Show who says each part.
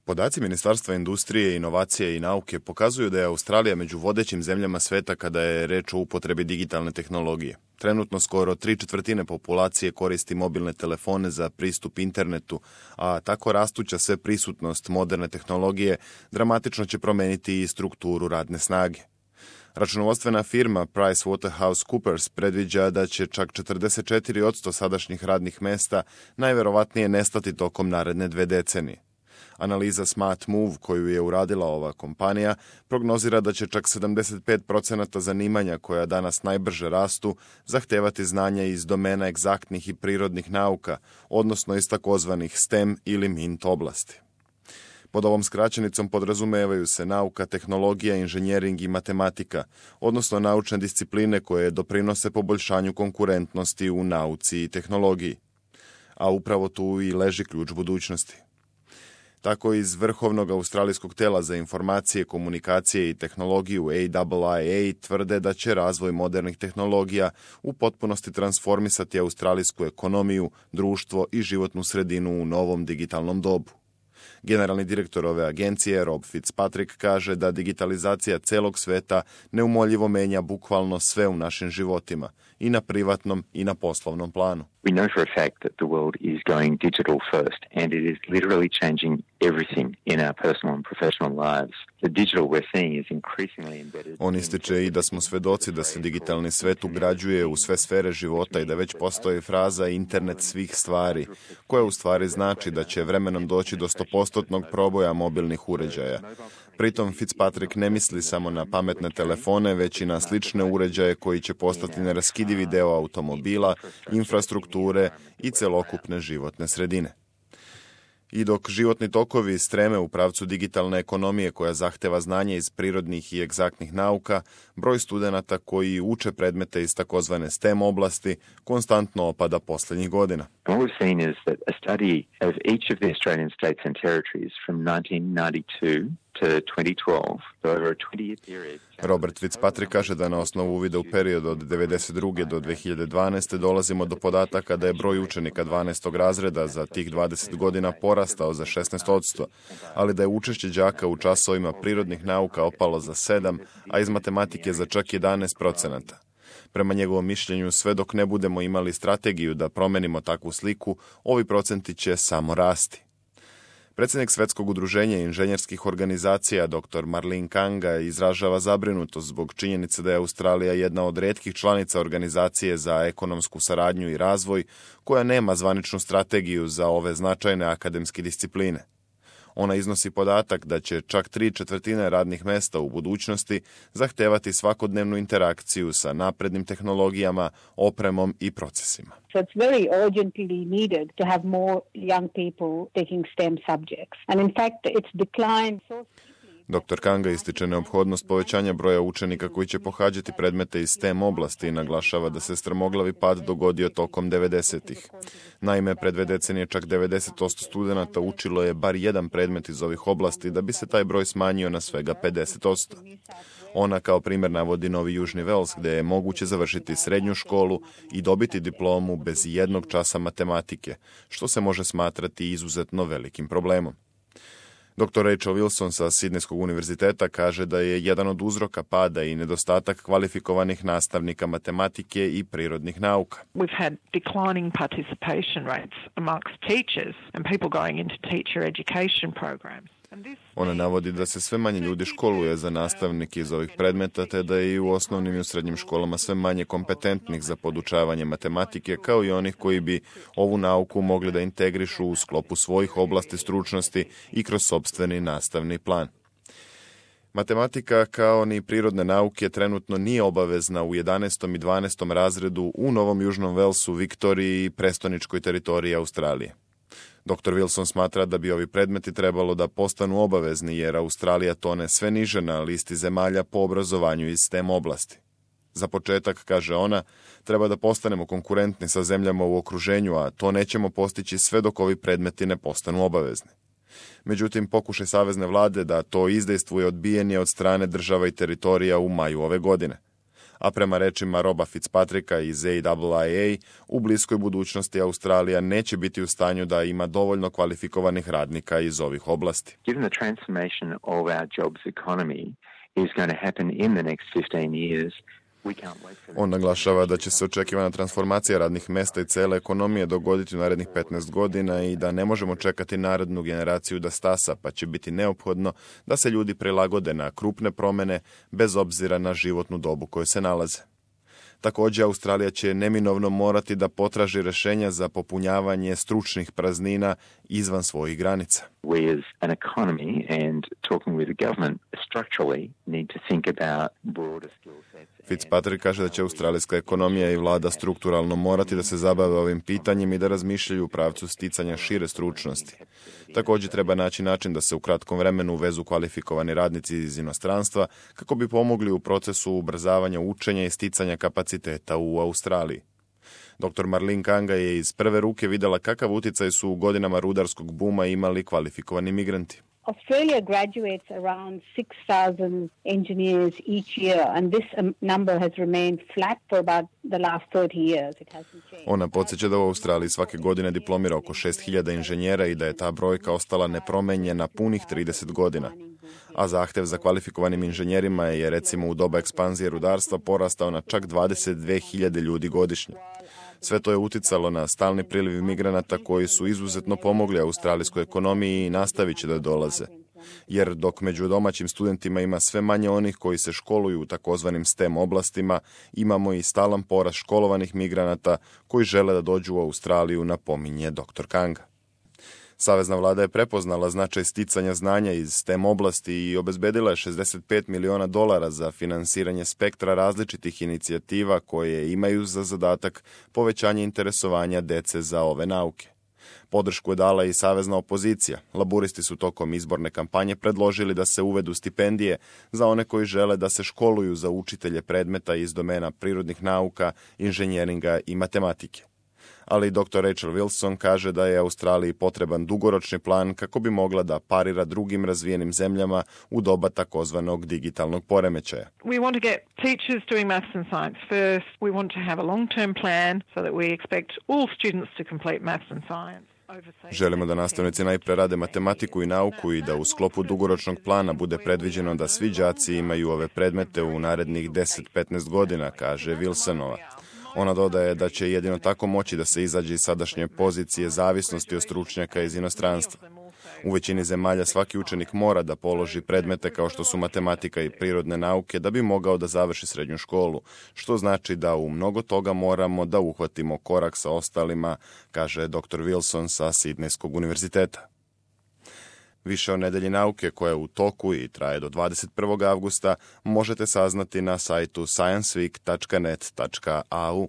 Speaker 1: Podaci Ministarstva industrije, inovacije i nauke pokazuju da je Australija među vodećim zemljama sveta kada je reč o upotrebi digitalne tehnologije. Trenutno skoro 3/4 populacije koristi mobilne telefone za pristup internetu, a tako rastuća sveprisutnost moderne tehnologije dramatično će promeniti i strukturu radne snage. Računovodstvena firma PricewaterhouseCoopers predviđa da će čak 44% sadašnjih radnih mesta najverovatnije nestati tokom naredne 2 decenije. Analiza Smart Move koju je uradila ova kompanija prognozira da će čak 75% zanimanja koja danas najbrže rastu zahtevati znanja iz domena egzaktnih i prirodnih nauka, odnosno iz takozvanih STEM ili MINT oblasti. Pod ovom skraćenicom podrazumevaju se nauka, tehnologija, inženjering i matematika, odnosno naučne discipline koje doprinose poboljšanju konkurentnosti u nauci i tehnologiji. A upravo tu i leži ključ budućnosti. Tako iz Vrhovnog australijskog tela za informacije, komunikacije i tehnologiju AIIA tvrde da će razvoj modernih tehnologija u potpunosti transformisati australijsku ekonomiju, društvo i životnu sredinu u novom digitalnom dobu. Generalni direktor ove agencije, Rob Fitzpatrick, kaže da digitalizacija celog sveta neumoljivo menja bukvalno sve u našim životima, i na privatnom i na poslovnom planu.
Speaker 2: We know for a fact that the world is going digital first, and it is literally changing everything in our personal and professional lives. The digital we're seeing is increasingly embedded.
Speaker 1: On ističe i da smo svedoci da se digitalni svet ugrađuje u sve sfere života i da već postoji fraza internet svih stvari, koja u stvari znači da će vremenom doći do 100% proboja mobilnih uređaja. Pritom Fitzpatrick ne misli samo na pametne telefone, već i na slične uređaje koji će postati neraskidivi deo automobila, infrastrukture i celokupne životne sredine. I dok životni tokovi streme u pravcu digitalne ekonomije koja zahteva znanje iz prirodnih i egzaktnih nauka, broj studenata koji uče predmete iz takozvane STEM oblasti konstantno opada posljednjih godina.
Speaker 2: What we've seen is that a study of each of the Australian states and territories from 1992 to 2012, so over a 20-year period.
Speaker 1: Robert Fitzpatrick kaže da na osnovu uvida u periodu od 1992. do 2012. dolazimo do podataka da je broj učenika 12. razreda za tih 20 godina porastao za 16%, ali da je učešće đaka u časovima prirodnih nauka opalo za 7%, a iz matematike za čak 11%. Prema njegovom mišljenju, sve dok ne budemo imali strategiju da promenimo takvu sliku, ovi procenti će samo rasti. Predsjednik Svetskog udruženja inženjerskih organizacija dr. Marlene Kanga izražava zabrinutost zbog činjenice da je Australija jedna od retkih članica organizacije za ekonomsku saradnju i razvoj koja nema zvaničnu strategiju za ove značajne akademske discipline. Ona iznosi podatak da će čak 3/4 radnih mesta u budućnosti zahtevati svakodnevnu interakciju sa naprednim tehnologijama, opremom i procesima.
Speaker 3: So it's very urgently needed to have more young people taking STEM subjects. And in fact, it's declined so.
Speaker 1: Dr. Kanga ističe neophodnost povećanja broja učenika koji će pohađati predmete iz STEM oblasti i naglašava da se strmoglavi pad dogodio tokom 90-ih. Naime, pred 2 decenije čak 90% studenata učilo je bar jedan predmet iz ovih oblasti da bi se taj broj smanjio na svega 50%. Ona kao primjer navodi Novi Južni Vels gdje je moguće završiti srednju školu i dobiti diplomu bez jednog časa matematike, što se može smatrati izuzetno velikim problemom. Dr. Rachel Wilson sa Sidnejskog univerziteta kaže da je jedan od uzroka pada i nedostatak kvalifikovanih nastavnika matematike i prirodnih nauka.
Speaker 4: We've had declining participation rates amongst teachers and people going into teacher education programs.
Speaker 1: Ona navodi da se sve manje ljudi školuje za nastavnike iz ovih predmeta, te da je i u osnovnim i u srednjim školama sve manje kompetentnih za podučavanje matematike, kao i onih koji bi ovu nauku mogli da integrišu u sklopu svojih oblasti stručnosti i kroz sopstveni nastavni plan. Matematika, kao ni prirodne nauke, trenutno nije obavezna u 11. i 12. razredu u Novom Južnom Velsu, Viktoriji i prestoničkoj teritoriji Australije. Dr. Wilson smatra da bi ovi predmeti trebalo da postanu obavezni jer Australija tone sve niže na listi zemalja po obrazovanju iz STEM oblasti. Za početak, kaže ona, treba da postanemo konkurentni sa zemljama u okruženju, a to nećemo postići sve dok ovi predmeti ne postanu obavezni. Međutim, pokušaj savezne vlade da to izdejstvuje odbijen je od strane država i teritorija u maju ove godine. A prema rečima Roba Fitzpatricka iz AIIA, u bliskoj budućnosti Australija neće biti u stanju da ima dovoljno kvalifikovanih radnika iz ovih oblasti.
Speaker 2: Given the transformation of our jobs economy is going to happen in the next 15 years,
Speaker 1: on naglašava da će se očekivana transformacija radnih mjesta i cijele ekonomije dogoditi u narednih 15 godina i da ne možemo čekati narednu generaciju da stasa, pa će biti neophodno da se ljudi prilagode na krupne promjene bez obzira na životnu dobu koju se nalaze. Također, Australija će neminovno morati da potraži rješenja za popunjavanje stručnih praznina izvan svojih granica.
Speaker 2: We as an economy and talking with the government structurally need to think about broader skill sets.
Speaker 1: Fitzpatrick kaže da će australijska ekonomija i vlada strukturalno morati da se zabave ovim pitanjem i da razmišljaju u pravcu sticanja šire stručnosti. Također treba naći način da se u kratkom vremenu uvezu kvalifikovani radnici iz inostranstva kako bi pomogli u procesu ubrzavanja učenja i sticanja kapaciteta u Australiji. Dr. Marlene Kanga je iz prve ruke vidjela kakav utjecaj su u godinama rudarskog buma imali kvalifikovani migranti.
Speaker 3: Australia graduates around 6,000 engineers each year, and this number has remained flat for about the last 30 years. It hasn't changed.
Speaker 1: Ona podsjeća da u Australiji svake godine diplomira oko 6.000 inženjera i da je ta brojka ostala nepromenjena punih 30 godina. A zahtjev za kvalifikovanim inženjerima je recimo u doba ekspanzije rudarstva porastao na čak 22.000 ljudi godišnje. Sve to je uticalo na stalni priliv migranata koji su izuzetno pomogli australijskoj ekonomiji i nastavit će da dolaze. Jer dok među domaćim studentima ima sve manje onih koji se školuju u takozvanim STEM oblastima, imamo i stalan porast školovanih migranata koji žele da dođu u Australiju, napominje dr. Kanga. Savezna vlada je prepoznala značaj sticanja znanja iz STEM oblasti i obezbedila je $65 miliona za finansiranje spektra različitih inicijativa koje imaju za zadatak povećanje interesovanja dece za ove nauke. Podršku je dala i savezna opozicija. Laburisti su tokom izborne kampanje predložili da se uvedu stipendije za one koji žele da se školuju za učitelje predmeta iz domena prirodnih nauka, inženjeringa i matematike. Ali dr. Rachel Wilson kaže da je Australiji potreban dugoročni plan kako bi mogla da parira drugim razvijenim zemljama u doba takozvanog digitalnog poremećaja.
Speaker 4: We want to get teachers doing maths and science first. We want to have a long-term plan so that we expect all students to complete maths and science.
Speaker 1: Želimo da nastavnici najpre rade matematiku i nauku i da u sklopu dugoročnog plana bude predviđeno da svi đaci imaju ove predmete u narednih 10-15 godina, kaže Wilsonova. Ona dodaje da će jedino tako moći da se izađe iz sadašnje pozicije zavisnosti od stručnjaka iz inostranstva. U većini zemalja svaki učenik mora da položi predmete kao što su matematika i prirodne nauke da bi mogao da završi srednju školu, što znači da u mnogo toga moramo da uhvatimo korak sa ostalima, kaže dr. Wilson sa Sidnejskog univerziteta. Više o nedelji nauke koja je u toku i traje do 21. avgusta možete saznati na sajtu scienceweek.net.au.